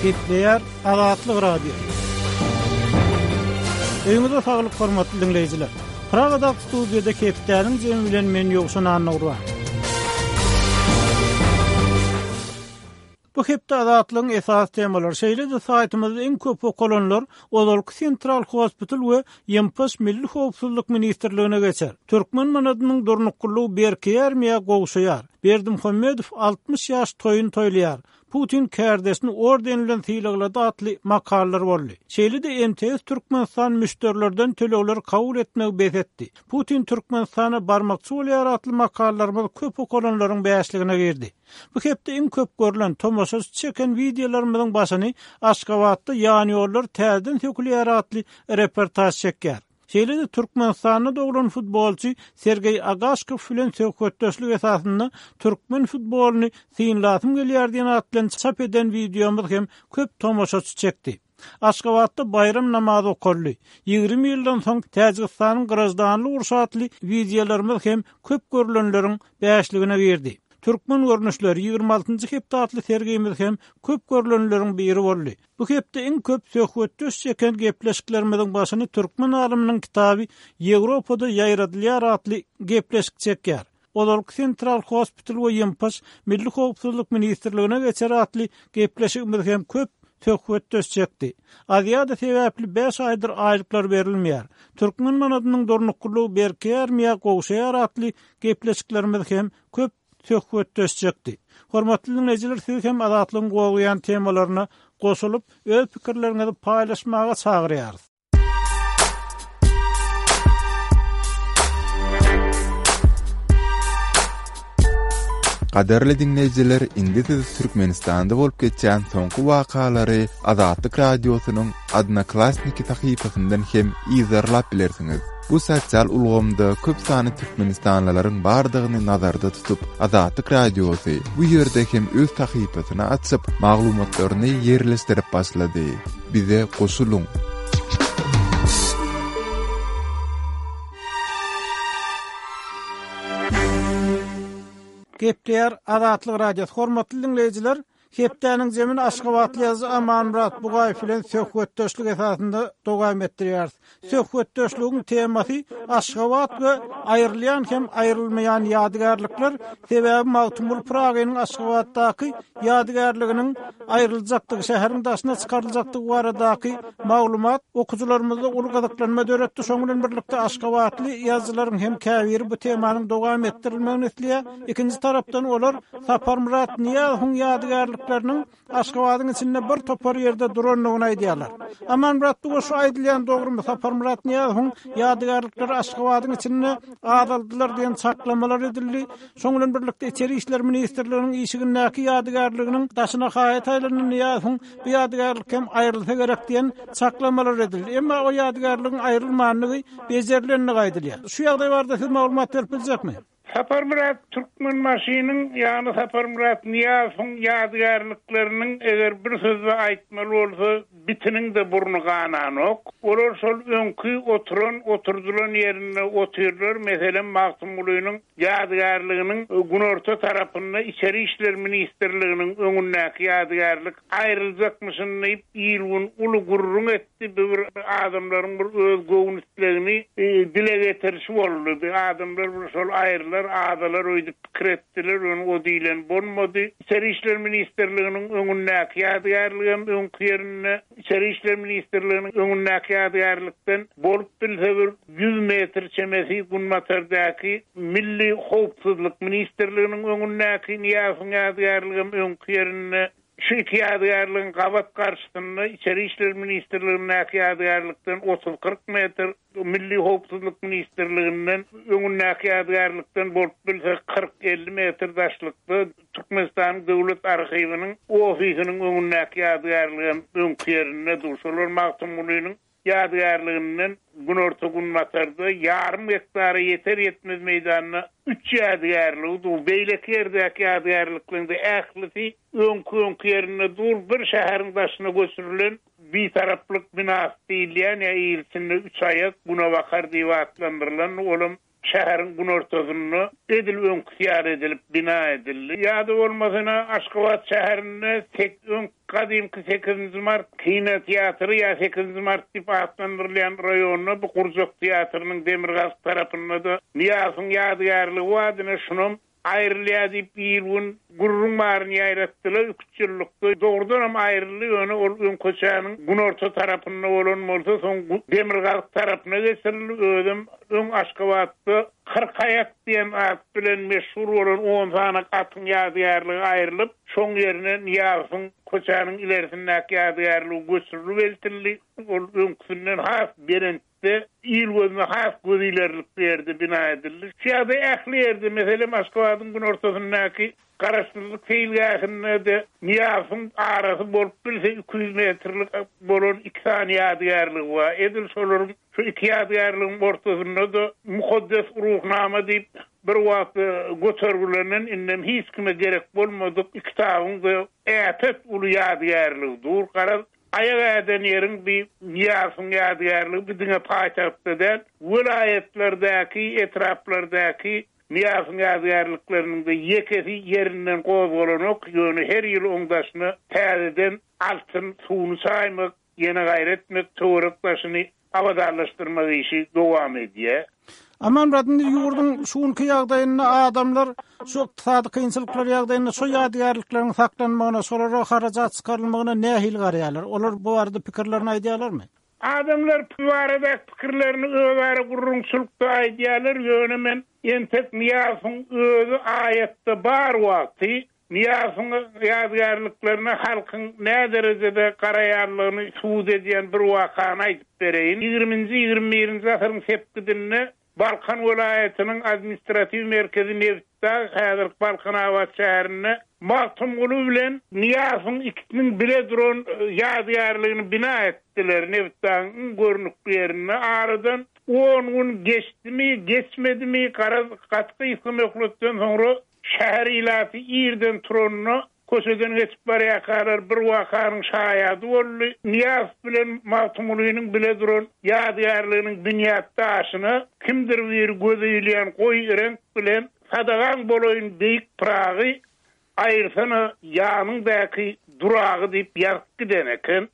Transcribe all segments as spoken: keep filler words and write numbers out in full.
Gepleýär Azatlyk Radiosy. Öýüňize saglyk hormatly diňleýjiler. Pragadaky studiýada hepdäniň jemi bilen men Ýowşan Annagurban. Bu hepde Azatlygyň esasy temalary şeýle-de saýtymyzda iň köp okalanlar ozalky Central Hospital we Ýempaş Milli Howpsuzlyk Ministrligine geçer. Türkmen manadynyň durnuklylygy berkeýärmi ýa gowşaýar? Berdimuhamedow altmyş ýaş toýun toýlaýar. Putin kärdeşini orden bilen sylaglady atly makalalar boldy. Şeýle-de M T S Türkmenistan müşderilerden tölegleri kabul etmegi bes etdi. Putin Türkmenistana barmakçy bolýar atly makalalarymyz köp okalanlaryň bäşligine girdi. Bu hepde iň köp görülen tomaşaçy çeken wideolarymyzyň başyny Aşgabatda ýan ýollar täzeden sökülýär atly reportaj çekýär. Şeýle-de Türkmenistanda doglan futbolçy Sergeý Agaşkow bilen söhbetdeşlik esasynda türkmen futbolyny synlasym gelýär diýen at bilen çap eden wideomyz hem köp tomaşaçy çekdi. Aşgabatda baýram namazy okaldy. Ýigrimi ýyldan soň Täjigistanyň graždanlyk urşy atly wideolarymyz hem köp görülenleriň bäşligine girdi. Türkmen görnüşleri ýigrimi altynjy hepde atly sergimiz hem köp görülenleriň biri boldy. Bu hepde iň köp söhbetdeş çeken gepleşiklerimiziň başyny Türkmen alymynyň kitaby Ýewropada ýaýradylýar atly gepleşik çekýär. Ozalky Central Hospital we Ýempaş Milli Howpsuzlyk Ministrligine geçer atly gepleşigimiz hem köp söhbetdeş çekdi. Aziýada sebäpli bäş aýdyr aýlyklar berilmeýär. Türkmen manadynyň durnuklylygy berkeýärmi ýa gowşaýar atly gepleşiklerimiz hem köp söhbetdeş çekdi. Hormatly dinleýjiler, siz hem Azatlygyň gowuyan temalaryna goşulyp, öz pikirleriňizi paýlaşmaga çagyrýarys. Gadarly dinleýjiler, indi siz Türkmenistanda bolup geçen soňky wakalary Azatlyk Radiosynyň Odnoklassniki sahypasyndan hem izarlap bilersiňiz. Bu sosial ulgamda köp sany türkmenistanlylaryň bardygyny nazarda tutup, Azatlyk Radiosy bu ýerde hem öz sahypasyny açyp, maglumatlaryny ýerleşdirip başlady. Bize goşulyň. Gepleýär Azatlyk Radiosy. Hormatly dinleýjiler, hepdäniň jemini Aşgabatly ýazyjy Amanmyrat Bugaýew bilen söhbetdeşlik esasynda dowam etdirýäris. Söhbetdeşligiň temasy Aşgabat we aýrylýan hem aýrylmaýan ýadygärlikler, sebäbi Magtymguly Pyragynyň Aşgabatdaky ýadygärliginiň aýryljakdygy, şäheriň daşyna çykaryljakdygy baradaky maglumat okyjylarymyzda uly gyzyklanma döretdi. Şonuň bilen birlikde Aşgabatly ýazyjylaryň hem käbiri bu temanyň dowam etdirilmegini isleýär. Ikinji tarapdan olar Saparmyrat Nyýazowyň ýadygärlikleriniň Aşgabadyň içinde bir topar ýerde durandygyny aýdýarlar. Amanmyrat Bugaýew, şu aýdylýan dogrumy? Saparmyrat Nyýazowyň ýadygärlikleri Aşgabadyň içinde azaldylar diýen çaklamalar edildi. Şonuň bilen birlikde Içeri İşler Ministrliginiň işigindäki ýadygärliginiň daşyna haýat aýlandy Nyýazowyň bu ýadygärlik hem aýrylsa gerek diýen çaklamalar edildi. Emma o ýadygärligiň aýrylmandygy bejerilenligi aýdylýar. Şu ýagdaý barada siz maglumat berip biljekmi? Saparmyrat Türkmenbaşynyň, ýagny Saparmyrat Nyýazowyň ýadygärlikleriniň eger bir sözde aýtmaly bolsa, bitiniň de burny gananok. Olar şol öňki oturan, oturdylan ýerinde otyrlar. Meselem, Magtymgulynyň ýadygärliginiň günorta tarapynda Içeri İşler Ministrliginiň öňündäki ýadygärlik aýryljakmyşyn diýip, il gün uly gürrüň etdi. Bir adamlaryň bir öz göwün islegini, e, dile getirişi boldy. Bir adamlar bir şol aýrylar, adalar öýdüp pikir etdiler, ony o diýlen bolmady. İçeri İşler Ministrliginiň öňündäki ýadygärlik hem öňki ýerinde, İçeri İşler Ministrliginiň öňündäki ýadygärlikden bolup bilse bir ýüz metr çemesi günbatardaki Milli Howpsuzlyk Ministrliginiň öňündäki Nyýazowyň ýadygärligi hem öňki ýerinde. Şu iki ýadygärligiň gabat garşysynda Içeri İşler Ministrligindäki ýadygärlikden otuz kyrk metr, Milli Howpsuzlyk Ministrliginden öňündäki ýadygärlikden bolup bilse kyrk elli metr daşlykda Türkmenistanyň Döwlet Arhiwiniň ofisiniň öňündäki ýadygärlik hem öňki ýerinde dur. Şolar Magtymgulynyň ýadygärliginden günorta günbatarda ýarym gektara ýeter ýetmez meýdanda üç ýadygärligi dur. Beýleki ýerdäki ýadygärlikleriň de ählisi öňki öňki ýerinde dur. Bir şäheriň daşyna göçürilen bitaraplyk binasy diýilýän ýa il içinde üç aýak günebakar diýip atlandyrylan olam şäheriň günortasynda edil öňküsi ýaly edilip bina edildi. Ýa-da bolmasa Aşgabat şäherinde tek öň gadymky sekizinji mart kino teatry ýa sekizinji mart diýip atlandyrylýan raýonda bu gurjak teatrynyň demirgazyk tarapynda-da Nyýazowyň ýadygärligi bardy, şunam aýrylýar diýip bir gün gürrüň baryny ýaýratdylar, üç ýyllykda dogrudanam aýryldy, ýöne ol öň köçäniň günorta tarapynda bolan bolsa, soň demirgazyk tarapyna geçirildi. Özem öň Aşgabatda kyrk aýak diýen at bilen meşhur bolan on sany atyň ýadygärligi aýrylyp, şoň ýerine Nyýazowyň köçäniň ilerisindäki ýadygärligi göçürilip eltildi. Ol öňküsinden has belent il gözüne has göz ilerlik bir ýerde bina edildi. Şu ýagdaý ähli ýerde, meselem Aşgabadyň günortasyndaky Garaşsyzlyk seýilgähinde-de Nyýazowyň arasy bolup bilse iki ýüz metrlik bolan iki sany ýadygärligi bar. Edil şolaryň şu iki ýadygärligiň ortasynda-da Mukaddes Ruhnama diýip bir wagt götergilenen indem hiç kime gerek bolmadyk iki kitabyň-da äpet uly ýadygärligi dur. Garaz, aýak äden ýeriň bir Nyýazowyň ýadygärligi bir diňe paýtagtda däl, welaýatlardaky, etraplardaky Nyýazowyň ýadygärlikleriniň de ýekesi ýerinden gozgalanok, ýöne her ýyl oň daşyna täzeden altyn suwuny çaýmak, ýene gaýrat etmek, töwerek daşyny abadanlaşdyrmak işi dowam edýär. Amanmyrat, indi ýurduň şu günki ýagdaýynda adamlar şu ykdysady kynçylyklar ýagdaýynda şu ýadygärlikleriň saklanmagyna, şolara harajat çykarylmagyna nähili garaýarlar? Olar bu barada pikirlerini aýdýarlarmy? Adamlar bu barada pikirlerini özara gurrumçylykda aýdýarlar, ýöne men entek Nyýazowyň özi aýatda bar wagty Nyýazowyň ýadygärliklerine halkyň nä derejede garaýanlygyny subut edýän bir wakany aýdyp bereýin. Ýigriminji, ýigrimi birinji asyryň sepgidinde Balkan welaýatynyň administratiw merkezi Nebitdag, häzirki Balkanabat şäherinde Magtymguly bilen Nyýazowyň ikisiniň bile duran ýadygärligini bina etdiler. Nebitdagyň iň görnükli ýerinde aradan on gün geçdimi, geçmedimi, garaz gaty gysga möhletden soňra şäher ilaty irden turanda köçeden geçip barýarkalar bir wakanyň şaýady boldy. Nyýazow bilen Magtymgulynyň bile duran ýadygärliginiň binýat daşyna kimdir bir göze ilýän goý reňk bilen sadagaň bolaýyn beýik Pragy aýyrsana ýanyňdaky duragy diýip ýazyp giden eken.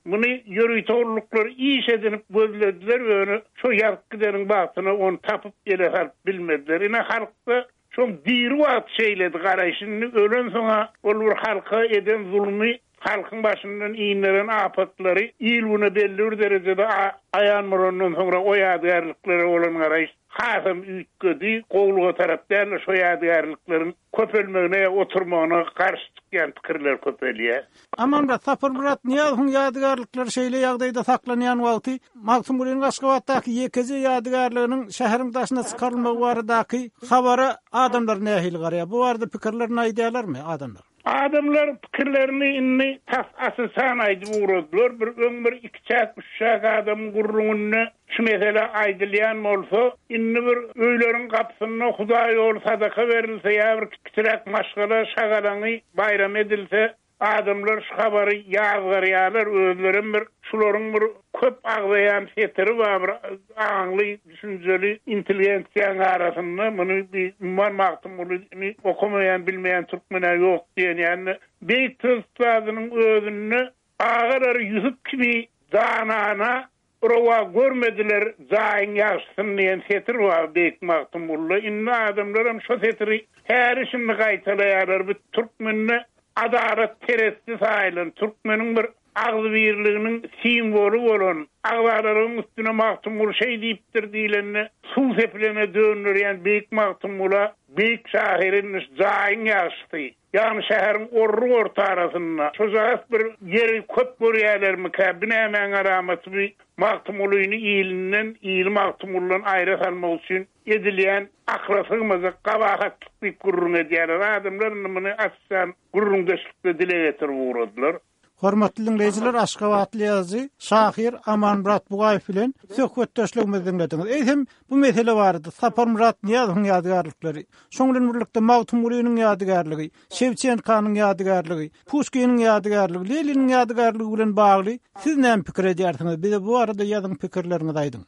Muny ýörite gulluklar iş edinip gözlediler, ýöne şo ýazyp gideniň bagtyna ony tapyp ele salyp bilmediler. Ine halkda şoň diri wagt şeýledi garaýşyny, ölen soňa ol bir halka eden zulmy, halkyň başyndan ineren apatlary il güne belli bir derejede aýan bolandan soňra o ýadygärliklere bolan garaýyş hasam üýtgedi. Gowluga tarap däl, şo ýadygärlikleriň köpelmegine, oturmagyna garşy çykýan pikirler köpelýär. Amanmyrat, Saparmyrat Nyýazowyň ýadygärlikleri şeýle ýagdaýda saklanýan wagty Magtymgulynyň Aşgabatdaky ýekeje ýadygärliginiň şäheriň daşyna çykarylmagy baradaky habara adamlar nähili garaýar? Bu barada pikirlerini aýdýarlarmy adamlar? Adamlar pikirlerini indi tas asysan aýdyp ugradylar. Bir öň bir iki çäk, üç çäk adamyň gurrugynda şu mesele aýdylýan bolsa, indi bir öýleriň gapysynda Hudaý ýoly sadaka berilse ýa bir kiçiräk maşgala şagalaňy baýram edilse, adamlar şu habary ýazgarýarlar, özlerem bir şularyň bir köp agzaýan setiri bar, bir aňly, düşünjeli intelligensiýanyň arasynda muny bir umuman Magtymgulyny okamaýan, bilmeýän türkmene ýok diýen, ýani beýik söz ustadynyň özünde agalary Ýusup kimi danana rowa görmediler jaýyň ýagşysyny diýen setir bar beýik Magtymgulyda. Indi adamlaram şo setiri häli şindi gaýtalaýarlar. Bu türkmende adalat teresti saýylan, türkmeniň bir agzybirliginiň simwoly bolan, agzalalygyň üstüne Magtymguly şeý diýipdir diýlende, suw sepilene döndürýän beýik Magtymgula, beýik şahyryň jaýyň ýagşysy, ýagny şäheriň orruk orta arasynda şojagaz bir ýeri köp görýärlermikä, bu nämäň alamaty bir Magtymgulyny ilinden, ili Magtymgulydan aýra salmak üçin edilýän akla sygmajak gabahatlyk diýip gürrüň edýärler. Adamlar indi muny açsan gürrüňdeşlikde dile getirip ugradylar. Hormatly dinleýjiler, Aşgabatly ýazyjy şahyr Amanmyrat Bugaýew bilen söhbetdeşligimizi dinlediňiz. Eýsem bu mesele barada Saparmyrat Nyýazowyň ýadygärlikleri, şoň bilen birlikde Magtymgulynyň ýadygärligi, Şewçenkanyň ýadygärligi, Puşkiniň ýadygärligi, Leniniň ýadygärligi bilen bagly siz näme pikir edýärsiňiz? Bize bu barada ýazyň pikirleriňizi aýdyň.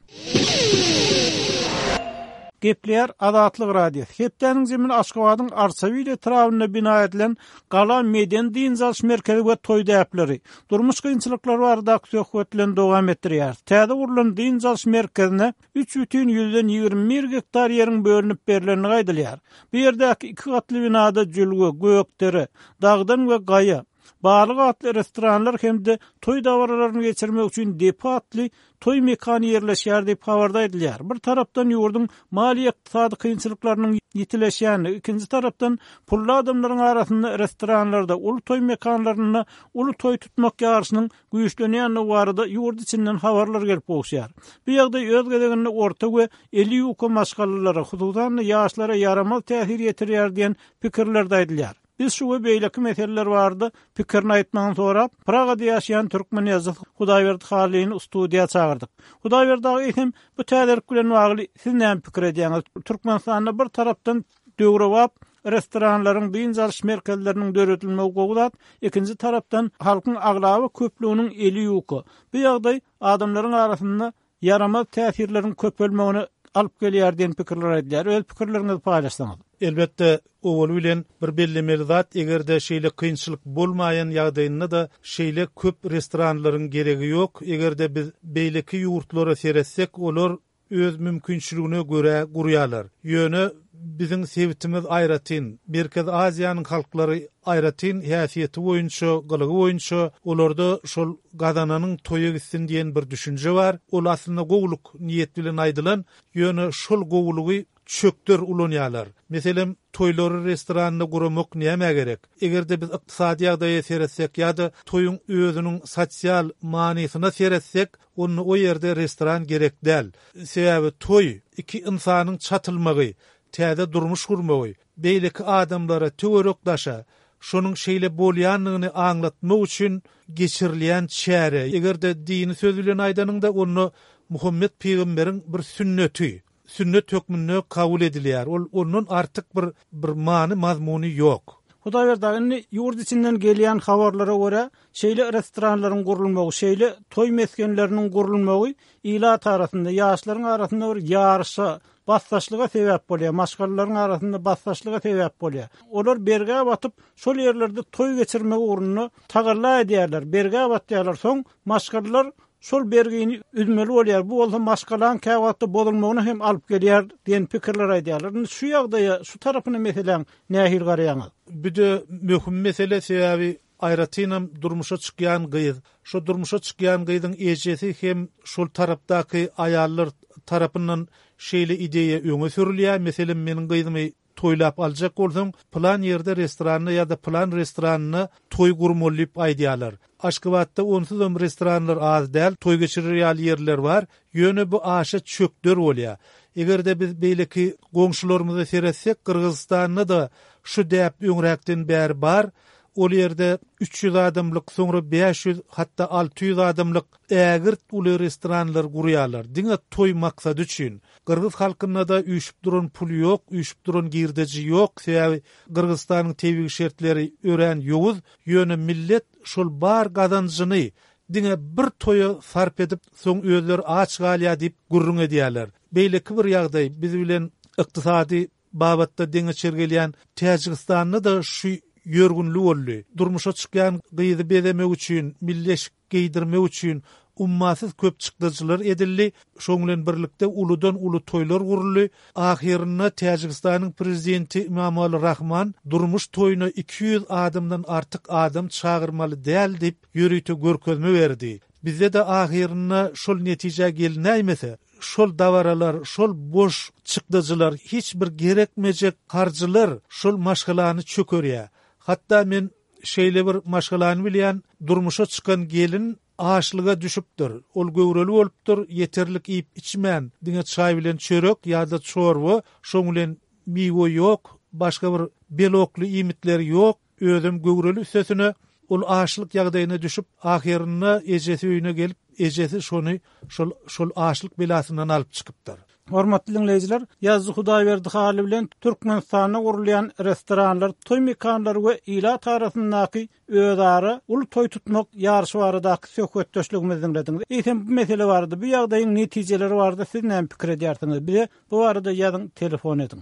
Gepleýär Azatlyk Radiosy. Hepdäniň zemini Aşgabadyň Arçabil etrabynda bina edilen Gala medeni dynç alyş merkezi we toý däpleri, durmuş kynçylyklary baradaky söhbet bilen dowam etdirýär. Täze gurlan dynç alyş merkezine üç bütin ýüzden ýigrimi bir gektar ýeriň bölünip berlendigi aýdylýar. Bu ýerdäki iki gatly binada jülge, gökdere, dagdan we gaýa, Balyk atly restoranlar hem-de toý dabaralaryny geçirmek üçin depo atly toý mekany ýerleşýär diýip habarda aýdylýar. Bir tarapdan ýurduň maliýe-ykdysady kynçylyklarynyň ýitileşýändigi, ikinji tarapdan pully adamlaryň arasynda restoranlarda, uly toý mekanlarynda uly toý tutmak ýaryşynyň güýçlenýändigi barada ýurt içinden habarlar gelip gowuşýar. Bu ýagdaý öz gezeginde orta we eli ýuka maşgalalara, hususan-da ýaşlara ýaramaz täsir ýetirýär diýen pikirler-de aýdylýar. Biz şu we beýleki meseleler barada pikirini aýtmagyny sorap, Pragada ýaşaýan türkmen ýazyjysy Hudaýberdi Hallyny studiýa çagyrdyk. Hudaýberdi aga, eýsem, bu täzelik bilen bagly siz näme pikir edýäňiz? Türkmenistanda bir tarapdan döwrebap restoranlaryň, dynç alyş merkezleriniň döredilmegi gowy zat, ikinji tarapdan halkyň aglaba köplüginiň eli ýuka. Bu ýagdaý adamlaryň arasynda ýaramaz täsirleriň köpelmegine alyp gelýär diýen pikirler aýdylýar. Öz pikirleriňizi paýlaşsaňyz. Elbetde, owaly bilen bir bellemeli zat, eger-de şeýle kynçylyk bolmaýan ýagdaýynda-da şeýle köp restoranlaryň geregi ýok. Eger-de biz beýleki ýurtlara seretsek, olar öz mümkinçiligine görä gurýarlar. Ýöne biziň sebitimiz aýratyn, Merkezi Aziýanyň halklary aýratyn häsiýeti boýunça, gylygy boýunça olarda şol gazananyň toýa gitsin diýen bir düşünje bar. Ol aslynda gowulyk niýet bilen aýdylan, ýöne şol gowulygy çökder ulanýarlar. Meselem, toýlary restoranda guramak nämä gerek? Eger-de biz ykdysady ýagdaýa seretsek ýa-da toýuň özüniň sosial manysyna seretsek, onda o ýerde restoran gerek däl. Sebäbi toý iki ynsanyň çatylmagy, täze durmuş gurmagy, beýleki adamlara, töwerek-daşa şonuň şeýle bolýandygyny aňlatmak üçin geçirilýän çäre. Eger-de dini söz bilen aýdanyňda, onda Muhammet pygamberiň bir sünneti, sünnet hökmünde kabul edilýär. Ol ondan artyk bir bir many mazmuny ýok. Hudaýberdi aga, indi ýurt içinden gelýän habarlara görä, şeýle restoranlaryň gurulmagy, şeýle toý mesgenleriniň gurulmagy ilat arasynda, ýaşlaryň arasynda bir ýaryşa, basdaşlyga sebäp bolýar, maşgalalaryň arasynda basdaşlyga sebäp bolýar. Olar bergä batyp, şol ýerlerde toý geçirmek ugrunda tagalla edýärler, bergä batýarlar. Soň maşgalalar şol bergini üzmeli bolýar. Bu bolsa maşgalaň käwagtda bozulmagyna hem alyp gelýär diýen pikirler aýdýarlar. Indi şu ýagdaýa, şu tarapyna meseläň nähili garaýaňyz? Bu-da möhüm mesele, sebäbi aýratynam durmuşa çykýan gyz, şo durmuşa çykýan gyzyň ejesi hem şol tarapdaky aýallar tarapyndan şeýle ideýa öňe sürülýär. Meselem, meniň gyzymy toýlap aljak bolsaň, pylan ýerde restoranda ýa-da pylan restoranda toý gurmaly diýip aýdýarlar. Aşgabatda onsuzam restoranlar az däl, toý geçirer ýaly ýerler bar, ýöne bu aşa çökder bolýar. Eger-de biz beýleki goňşularymyza seretsek, Gyrgyzystanda-da şu däp öňräkden bäri bar. Ol ýerde üç ýüz adamlyk, soňra bäş ýüz, hatda alty ýüz adamlyk ägirt uly restoranlar gurýarlar, diňe toý maksady üçin. Gyrgyz halkynda-da üýşüp duran pul ýok, üýşüp duran girdeji ýok, sebäbi Gyrgyzystanyň tebigy şertleri örän ýowuz, ýöne millet şol bar gazanjyny diňe bir toýa sarp edip, soň özleri aç galýar diýip gürrüň edýärler. Beýleki bir ýagdaý, biz bilen ykdysady babatda deňeçer gelýän Täjigistanda-da şu ýörgünli boldy. Durmuşa çykýan gyzy bezemek üçin, milli eşik geýdirmek üçin ummasyz köp çykdajylar edildi. Şoň bilen birlikde uludan-uly toýlar guruldy. Ahyrynda Täjigistanyň prezidenti Imamali Rahman durmuş toýuna iki ýüz adamdan artyk adam çagyrmaly däl diýip ýörite görkezme berdi. Bizde-de ahyrynda şol netijä gelinäýmese, şol dabaralar, şol boş çykdajylar, hiç bir gerekmejek harjylar şol maşgalany çökerýär. Hatda men şeýle bir maşgalany bilýän, durmuşa çykan gelin açlyga düşüpdir. Ol göwreli bolupdyr, ýeterlik iýip-içmän, diňe çaý bilen çörek ýa-da çorba, şoň bilen miwe ýok, başga bir belokly iýmitler ýok, özem göwreli üstesine ol açlyk ýagdaýyna düşüp, ahyrynda ejesi öýüne gelip, ejesi şony şol şol açlyk belasyndan alyp çykypdyr. Hormatly diňleýjiler, Ýazyjy Hudaýberdi Hally bilen Türkmenistanda gurulýan restoranlar, toý mekanlary we ilat arasyndaky özara uly toý tutmak ýaryşy baradaky söhbetdeşligimizi diňlediňiz. Eýsem bu mesele barada, bu ýagdaýyň netijeleri barada siz näme pikir edýärsiňiz? Bize bu barada ýazyň, telefon ediň.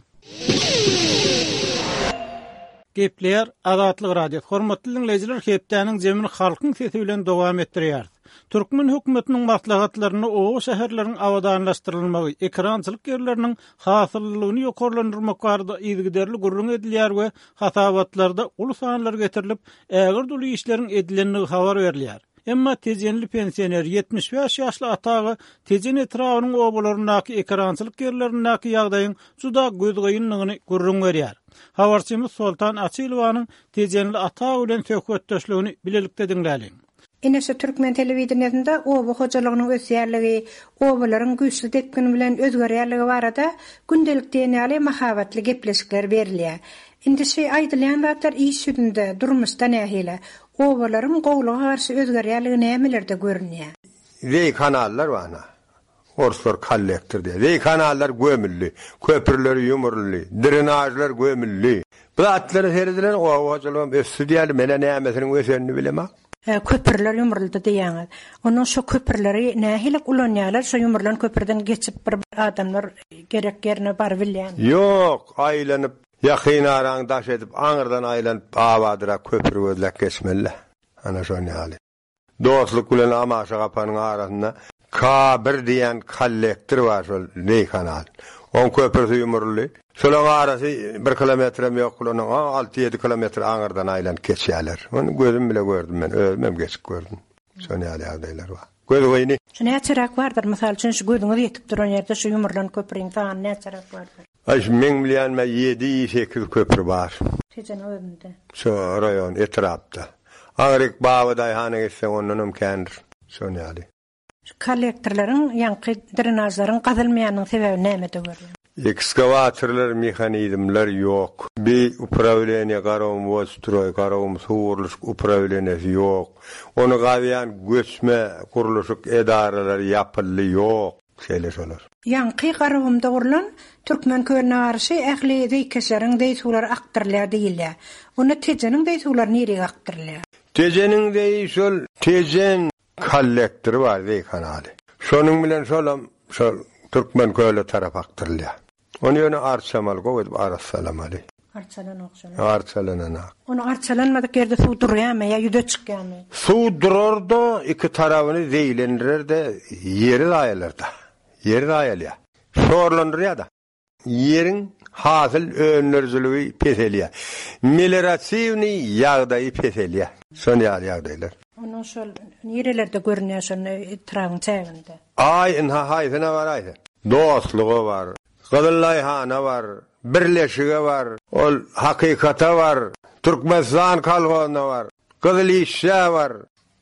Gepleýär Azatlyk Radiosy. Hormatly diňleýjiler, hepdäniň jemini halkyň sesi bilen dowam etdirýär. Türkmen hökümetiniň maslahatlarynda oba şäherleriň abadanlaşdyrylmagy, ekerançylyk ýerleriniň hasyllylygyny ýokarlandyrmak barada yzygiderli gürrüň edilýär we hasabatlarda uly sanlar getirilip, ägirt uly işleriň edilendigi habar berilýär. Emma Tejenli pensioner ýetmiş bäş ýaşly Ata aga Tejen etrabynyň obalaryndaky ekerançylyk ýerlerindäki ýagdaýyň juda gözgynydygyny gürrüň berýär. Habarçymyz Soltan Açylowanyň Tejenli Ata aga bilen söhbetdeşligini bilelikde diňläliň. Ine şu türkmen telewideniýesinde oba hojalygynyň ösýärligi, obalaryň güýçli depgin bilen özgerýärligi barada gündelik diýen ýaly mahabatly gepleşikler berilýär. Indi şu aýdylýan zatlar iş ýüzünde, durmuşda nähili? Obalaryň gowluga garşy özgerýärligi nämelerde görünýär? Zeý kanallar bar ana. Orslar kollektor diýär. Zeý kanallar gömüldi, köprüler ýumruldy, drenajlar gömüldi. Bu zatlara seredilen oba hojalygam ösdi diýeli, mene nämesiniň ösenini bilemok. E, köprüler ýumruldy diýýäňiz. Onuň şu köprüleri nähili ulanýarlar? Şu ýumrulan köprüden geçip bir adamlar gerek ýerine baryp bilýän. Ýok, aýlanyp, ýakyn araň daş edip, aňyrdan aýlanyp, abadyra köprü gözläp geçmeli. Ana şony ýaly. Dostluk bilen Amaşa gapanyň arasynda K bir diýen kollektor bar şol zeý kanal. On köprüsi ýumruldy. Şolaň arasy bir kilometrem ýok, onuň alty ýedi kilometr aňyrdan aýlanyp geçýärler. Ony gözüm bile gördüm men, özüm hem geçip gördüm. Şony ýaly ýagdaýlar bar. Göz goýny. Şu näçeräk bardyr? Mysal üçin şu gözüňiz ýetip duran ýerde şu ýumrulan köprüň sany näçeräk bardyr? Aý, şu meň bilýänime ýedi, sekiz köprü bar. Tejen özünde. Şu raýon etrapda. Aňryk Baba Daýhana geçseň ondan hem kändir. Şony ýaly. Şu kollektorlaryň, ýaňky drenajlaryň gazylmaýanyň sebäbi nämede görýän? Ekskavatorlar, mehanizmler ýok. Bir upravleniýe Garagum Wodstroý, Garagum suw gurluşyk upravleniýesi ýok. Ony gazýan göçme gurluşyk edaralary ýapyldy ýok. Şeýle şolar. Ýaňky Garagumda gurlan Türkmen kölüne garşy ähli zeýkeşleriň zeý suwlary akdyrylýar diýilýär. Onda Tejeniň zeý suwlary nirege akdyrylýar? Tejeniň zeýi şol Tejen kollektory bar zeý kanaly. Şonuň bilen şolam şol Türkmen köle tarap akdyrylýar. Ony ýöne arçamaly, gowy edip arassalamaly. Arçalanok şolar. Arçalanana. Ony arçalanmadyk ýerde suw durýarmy ýa ýüze çykýarmy? Suw durar da iki tarabyny zeýlendirer de ýeri zaýalar da. Ýeri zaýalýar. Şorlandyrýar da. Ýeriň hasyl öndürijiligi peselýär. Meliorativni ýagdaýy peselýär. Şony ýaly ýagdaýlar. Onuň şol nirelerde görünýär şol etrabyň çäginde? Aý, inha haýsyna bar aýsy. Dostlugy bar, Gyzyllaýhana bar, Birleşige bar, ol hakykata bar, Türkmenistan kolhozuna bar, Gyzyl işçä bar.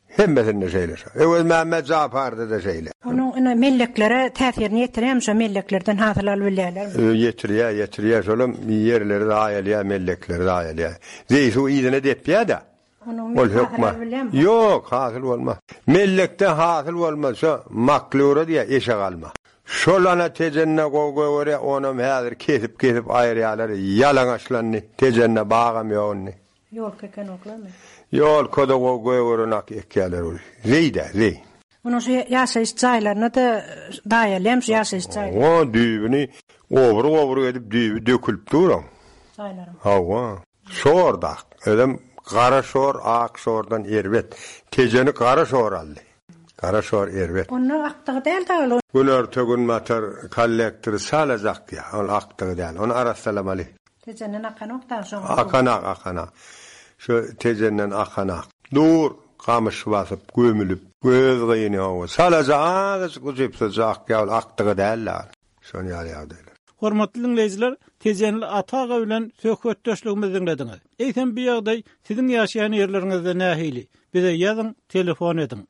Hemmesinde şeýle şo. Öwez Mehmet Jafarda da şeýle. Onuň ine melleklere täsirini ýetirýärmi şo melleklerden hasyl alyp bilýärlermi? Ö, ýetirýär, ýetirýär. Şolam ýerleri zaýalýar, mellekleri zaýalýar. Zeý suw yzyna depýär da. Onuň Ol hasyl hökman. alyp bilýärmi? Ýok, hasyl bolmaz. Mellekde hasyl bolmaz. Şo maklura diýär, eşek alma. Şol ana Tejende gowy gögerýär, onam häzir kesip-kesip aýyrýarlar. Ýalaňaçlandy. Tejende bagam ýok indi. Ýol keken oklamy? Ýol koda gowy gögeren ak ekýärler ol. Zeý-de, zeý. Onuň şu ýaşaýyş jaýlaryna da daýalýam şu ýaşaýyş jaýlary. O düýbüni obur-obur edip düýbi dökülip dur oň. Jaýlaryň. Hawa. Şor da. Özem gara şor, ak şordan erbet. Tejeni gara şor aldy. Gara şor erbet. Onda akdygy däl da ol. Günorta günbatar kollektory salacak ya. Ol akdygy däl. Ony arassalamaly. Tejenden akanok da şoň. Akanak, akanak. Şu Tejenden akanak. Dur, gamyş basyp, gömülip, göz gyýyny hawa. Salaja azajyk ujypsyzja akýa, ol akdygy däl da. Şony ýaly ýagdaýlar. Hormatly diňleýjiler, Tejenli Ata aga bilen söhbetdeşligimizi diňlediňiz. Eýsem bu ýagdaý siziň ýaşaýan ýerleriňizde nähili? Bize ýazyň, telefon ediň.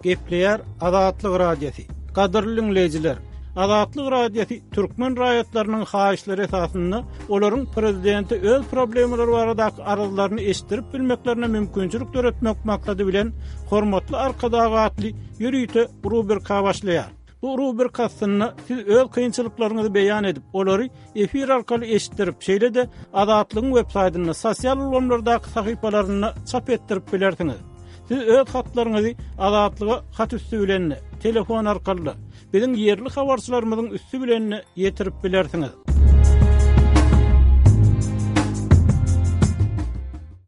Gepleýär Azatlyk Radiosy. Gadyrly diňleýjiler, Azatlyk Radiosy türkmen raýatlarynyň haýyşlary esasynda olaryň prezidente öz problemalary baradaky arzlaryny eşitdirip bilmeklerine mümkinçilik döretmek maksady bilen Hormatly Arkadag atly ýörite rubrika başlaýar. Bu rubrika astynda siz öz kynçylyklaryňyzy beýan edip, olary efir arkaly eşitdirip, şeýle-de Azatlygyň web saýtynda, sosial ulgamlardaky sahypalarynda çap etdirip bilersiňiz. Siz öz hatlaryňyzy Azatlyga hat üsti bilen, telefon arkaly, biziň ýerli habarçylarymyzyň üsti bilen ýetirip bilersiňiz.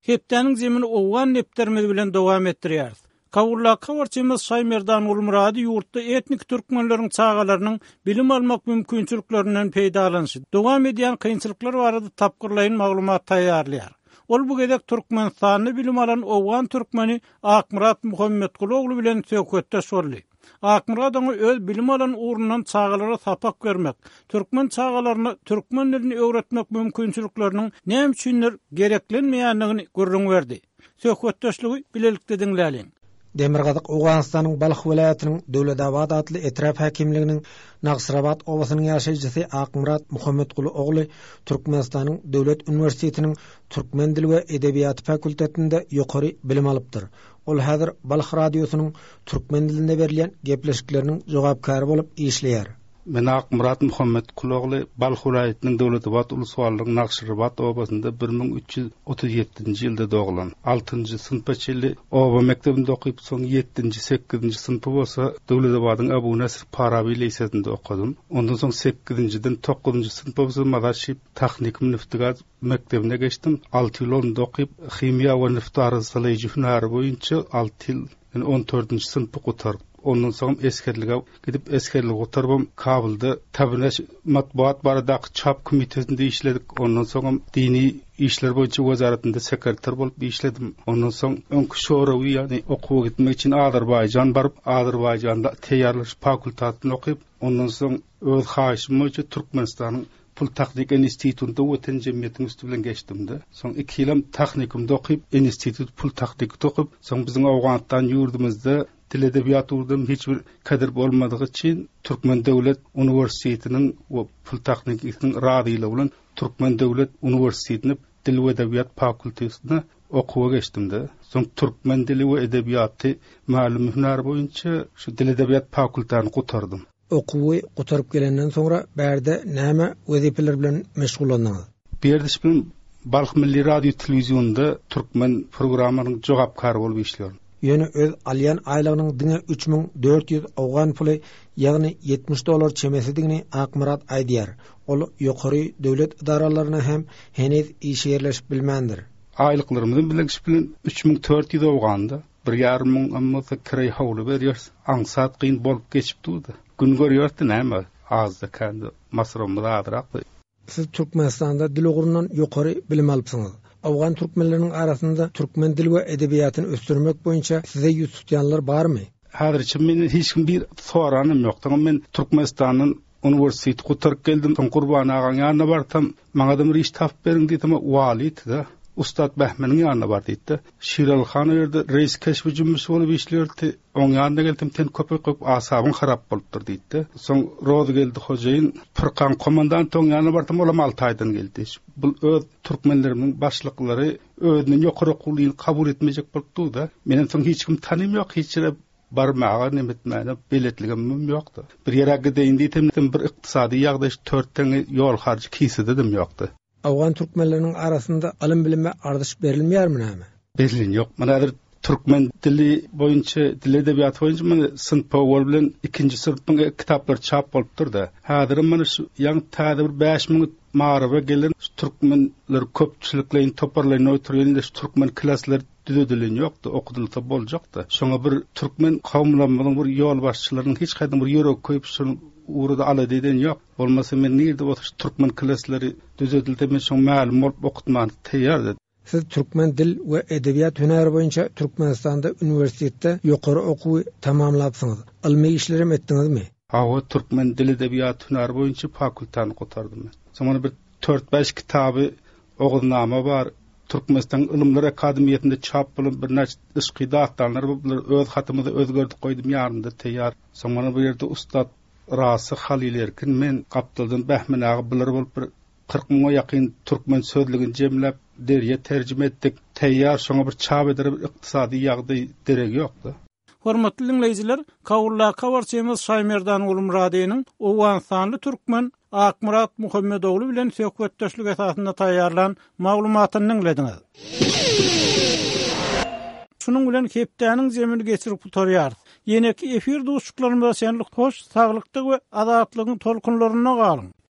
Hepdäniň zemini Owgan depderimiz bilen dowam etdirýäris. Kabuldaky habarçymyz Şaýmerdan Gulmyrady ýurtda etnik türkmenleriň çagalarynyň bilim almak mümkinçiliklerinden peýdalanyşy, dowam edýän kynçylyklar barada tapgyrlaýyn maglumat taýýarlaýar. Ol bu gezek Türkmenistanda bilim alan owgan türkmeni Akmyrat Muhammetguly bilen söhbetdeş boldy. Akmyrat oňa öz bilim alan ugrundan çagalara sapak bermek, türkmen çagalaryna türkmen dilini öwretmek mümkinçilikleriniň näme üçindir gereklenmeýändigini gürrüň berdi. Söhbetdeşligi bilelikde diňläliň. Demirgazyk Owganystanyň Balh welaýatynyň Döwletabat atly etrap häkimliginiň Nagsrabat obasynyň ýaşaýjysy Akmyrat Muhammetguly ogly Türkmenistanyň Döwlet uniwersitetiniň Türkmen dili we edebiýaty fakultetinde ýokary bilim alypdyr. Ol häzir Balh radiosynyň türkmen dilinde berilýän gepleşikleriniň jogapkary bolup işleýär. Men Akmyrat Muhammetguly ogly Balh welaýatynyň Döwletabat uluswalynyň Nagşyrabat obasynda bir müň üç ýüz otuz ýedinji ýylda doglan. Altynjy synpa çenli oba mekdebinde okyp, soň ýedinji, sekizinji synpy bolsa Döwletabadyň Abu Nasr Farabi lisesinde okadym. Ondan soň sekizinjiden dokuzynjy synpa bolsa Mazar Şerif Tehnikum Neftigaz mekdebine geçdim. Alty ýyl onda okyp, himiýa we neft arassalaýjy hünäri boýunça alty ýyl, ýani on dördünji synpy gutardym. Ondan soň esgerlige gidip esgerligi gutarbam Kabulda Tabineş matbuat baradaky çap komitetinde işledik. Ondan soň dini işler boýunça wezaretinde sekreter bolup işledim. Ondan soň öňki Şorawi, ýani okuwa gitmek üçin Azerbaýjan baryp, Azerbaýjanda teýýarlaş fakultetini okyp, ondan soň öz haýyşym boýunça Türkmenistanyň Pul Texnik Institutynda Watan Jemgyýetiniň üstü bilen geçdim-de. Soň iki ýylam texnikumda okyp, institut pul texnikde okyp, soň biziň Owganystan ýurdumyzda dil edebiýat ugurdan hiç bir kadir bolmadygy üçin Türkmen Döwlet Uniwersitetiniň we Pul Texnikisiniň razylygy bilen Türkmen Döwlet Uniwersitetine dil we edebiýat fakultetine okuwa geçdim-de. Soň türkmen dili we edebiýaty mälum hünär boýunça şu dil edebiýat fakultetini gutardym. Okuwy gutaryp gelenden soňra bärde näme wezipeler bilen meşgullandyňyz? Bu ýerde bilen Balh Milli Radio Telewizyonda türkmen programmanyň jogapkary bolup işliyorum. Ýöne öz alýan aýlygynyň diňe üç müň dört ýüz owgan puly, ýagny ýetmiş dollar çemesidigini Akmyrat aýdýar. Ol ýokary döwlet edaralaryna hem heniz işe ýerleşip bilmändir. Aýlyklarymyzy bilen bilen üç müň dört ýüz owganda bir ýarym müň bolsa kireý howly berýär. Aňsat kyn bolup geçip durdy. Gün görýärdi näme? Azda kendi masrafymyz azrak. Siz Türkmenistanda dil ugrundan ýokary bilim alypsyňyz. Owgan türkmenleriniň arasynda türkmen dil we edebiýatyny ösdürmek boýunça size ýüz tutýanlar barmy? Häzirçe men hiç kim bir soranym ýok. Men Türkmenistandan uniwersitet gutaryp geldim. Soň Gurban agaň ýanyna bartam, maňa da bir iş tapyp beriň diýdim, wali-da. Ustad Behmeniň ýanyna bar diýdi. Şiral han o ýerde reis keşbi jümmüş bolup işleýärdi. Oň ýanyna geldim, sen köpek köp asabyň harap bolupdyr diýdi. Soň Roz geldi hojaýyn, Pyrkan komandant oň ýanyna bardym, olam alty aýdan geldi. Bu öz türkmenlerimiň başlyklary özüniň ýokary okuwyny kabul etmejek bolup durdy. Meniň soň hiç kim tanym ýok, hiç ýere barmaga nemetmäne beletligim ýokdy. Bir ýere gideýin diýdim, bir ykdysady ýagdaý dört teňňe ýol harjy kisededim ýokdy. Owgan türkmenleriniň arasynda ylym bilime ardyş berilmeýärmi näme? Berilin ýok. Mana häzir türkmen dili boýunça, dil edebiýaty boýunça mana synp owal bilen ikinji synpyň kitaplary çap bolupdyr-da. Häzir mana şu ýaňy täze bir bäş müň maryba gelen şu türkmenler köpçülikleýin toparlaýyn oturýan şu türkmen klaslar düzedilen ýokdy, okudylsa boljakdy. Şoňa bir türkmen kowumlarymyzyň bir ýolbaşçylarynyň hiç haýsy bir ýürek koýup şunu ugrada alada eden ýok. Bolmasa men nirde bolsa şu türkmen klaslary düzedildi, men şoň mälum bolup okutman taýýardy. Siz türkmen dil we edebiýat hünäri boýunça Türkmenistanda uniwersitetde ýokary okuwy tamamlapsyňyz. Ylmy işlerem etdiňizmi? Hawa, türkmen dil edebiýat hünäri boýunça fakultany gutardym men. Soň bir dört bäş kitaby Oguznama bar. Türkmenistan Ylymlar Akademiýasynda çap bolan birnäçe yşky dastanlar bu, bular öz hatymyzy özgerdik goýdum ýarynda taýýar. Soň mana bu ýerde ustad Rasyh, Halyl Erkin, men, gapdaldan Bähmen aga bular bolup bir kyrk müňe ýakyn türkmen sözlügini jemläp deriýe terjime etdik. Taýýar şoňa bir çap edere bir ykdysady ýagdaý deregi ýokdy. Hormatly diňleýjiler, Kabuldaky habarçymyz Şaýmerdan Gulmyradynyň owganystanly türkmen Akmyrat Muhammedogly bilen söhbetdeşlik esasynda taýýarlan maglumatyny diňlediňiz. Şunuň bilen hepdäniň zemini geçirip gutarýarys. Ýeneki efir duşuşyklarymyza çenli hoş, saglykda we azatlygyň tolkunlarynda galyň.